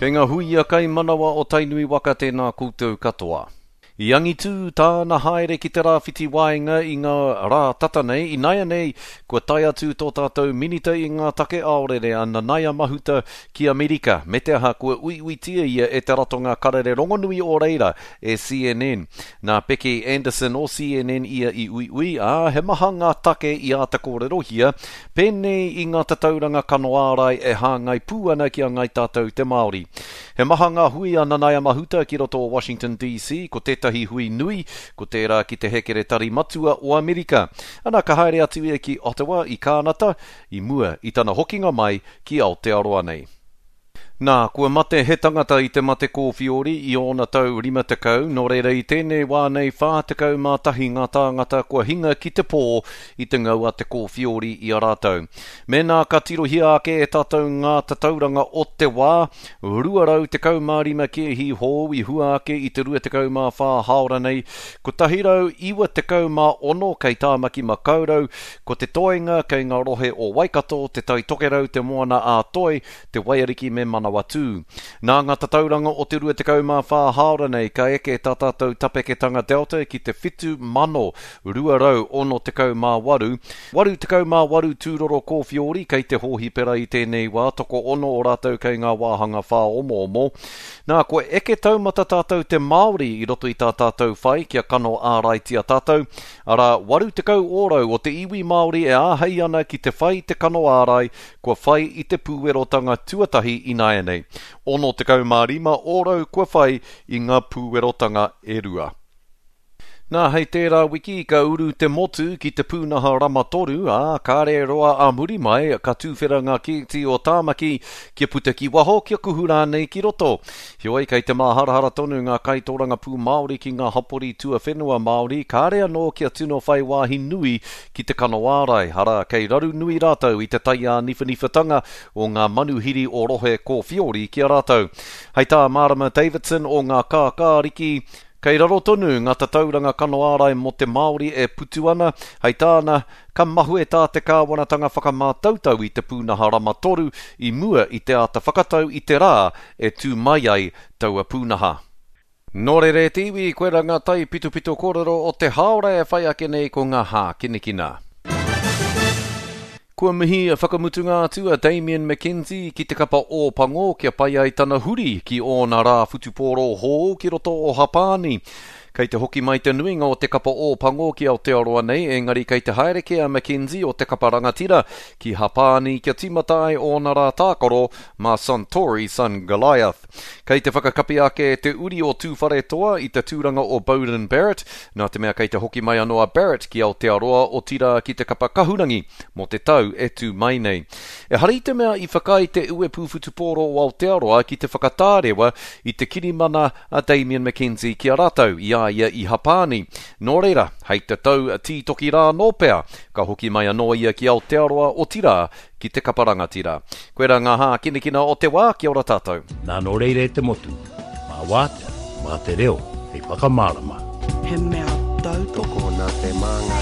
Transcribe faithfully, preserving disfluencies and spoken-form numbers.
Kei ngā huia kaimanawa o Tainui waka tēnā koutou katoa. I angitū tāna haere ki te rāwhiti waenga i ngā rā tata nei, ināianei kua tae atu tō tātou minita i ngā take aorere a Nanaia Mahuta ki Amerika, me te aha kua uiuitia ia e te ratonga karere rongonui o reira e C N N. Nā Becky Anderson o C N N ia i uiui, ā, he maha ngā take i āta kōrerohia, pēnei i ngā tatauranga kano ārai e hāngai pū ana ki a Ngai Tātou te Māori. He maha ngā hui a Nanaia Mahuta ki roto o Washington D C, ko tētahi hui nui, ko tērā ki te hekeretari matua o Amerika. Ana ka haere atu ia ki Ottawa i Kānata, i mua i tana hokinga mai ki Aotearoa nei. Nā, kua mate he tangata i te mate kōwhiori i ōna tau rima tekau, nō reira i tēnei wā nei whā tekau mā tahi ngā tāngata kua hinga ki te pō i te ngau a te kōwhiori i a rātou. Mēnā ka tirohia ake e tātou ngā tatauranga o te wā, rua rau tekau mā rima kēhi hou i hua ake i te rua tekau mā whā hāora nei, kotahi rau iwa tekau mā ono kei Tāmaki Makaurau, ko te toenga kei ngā rohe o Waikato, te Tai Tokerau, te Moana ā Toi, te Waiariki me Manawatū. Nā ngā tatauranga o te rua tekau mā whā hāora nei ka eke tā tātou tapeketanga Delta ki te whitu mano rua rau ono tekau mā waru. Waru tekau mā waru tūroro kōwhiori kei te hōhipera i tēnei wā, toko ono o rātou kei ngā wāhanga whāomoomo. Nā, kua eke taumata tātou te Māori i roto i tā tātou whai kia kano āraitia tātou. Arā, waru tekau ōrau o te iwi Māori e āhei ana ki te whai te kano ārai, kua whai i te pūwerotanga tuatahi ināianei. Ono tekau mā rima ōrau kua whai i ngā pūwerotanga e rua. Nā, hei tērā wiki ka uru te motu ki te pūnaha rama toru, ā, kāre roa a muri mai, ka tūwhera ngā kēti o Tāmaki kia puta ki waho, kia kuhu rānei ki roto. Heoi, kei te māharahara tonu ngā kaitoranga pū Māori ki ngā hapori tuawhenua Māori, kāre anō kia tino whai wāhi nui ki te kano ārai. Arā, kei raru nui rātou i te taiāniwhaniwhatanga o ngā manuhiri o rohe kōwhiori ki a rātou. Hei tā Marama Davidson o ngā kākāriki, kei raro tonu ngā tatauranga kano ārai mō te Māori e putu ana, hei tāna, ka mahue tā te kāwanatanga whakamātautau i te pūnaha rama toru i mua i te āta whakatau i te rā e tū mai ai taua pūnaha. Nō reira e te iwi, koe rā ngā tai pitopito kōrero o te hāora e whai ake nei ko ngā hākinakina. Kua mihi a whakamutunga atu a Damien McKenzie ki te kapa Ōpango kia pai ai tana huri ki ōna rā whutupōro hou ki roto o Hapāni. Kei te hoki mai te nuinga o te kapa Ōpango ki Aotearoa nei, engari kei te haere kē a McKenzie o te kapa rangatira ki Hapāni kia tīmata ai ōna rā tākaro mā Suntory Sun Goliath. Kei te whakakapi ake te uri o Tūwharetoa i te tūranga o Beauden Barrett, nā te mea kei te hoki mai anō a Barrett ki Aotearoa o tira ki te kapa kahurangi mō te tau e tū mai nei. E hari te mea i whakai te uepu whutupōro o Aotearoa ki te whakatārewa i te kirimana a Damien McKenzie ki a rātou i a ia i Hapāni. Nō reira, hei te tau tītoki rā nō pea, ka hoki mai anō ia ki Aotearoa o tira ki te kapa rangatira. Koe rā ngā hākinakina o te wā, kia ora tātou. Nā nō reira e te motu, mā wātea, mā te reo, hei whakamārama. He mea tautoko nā te māngai.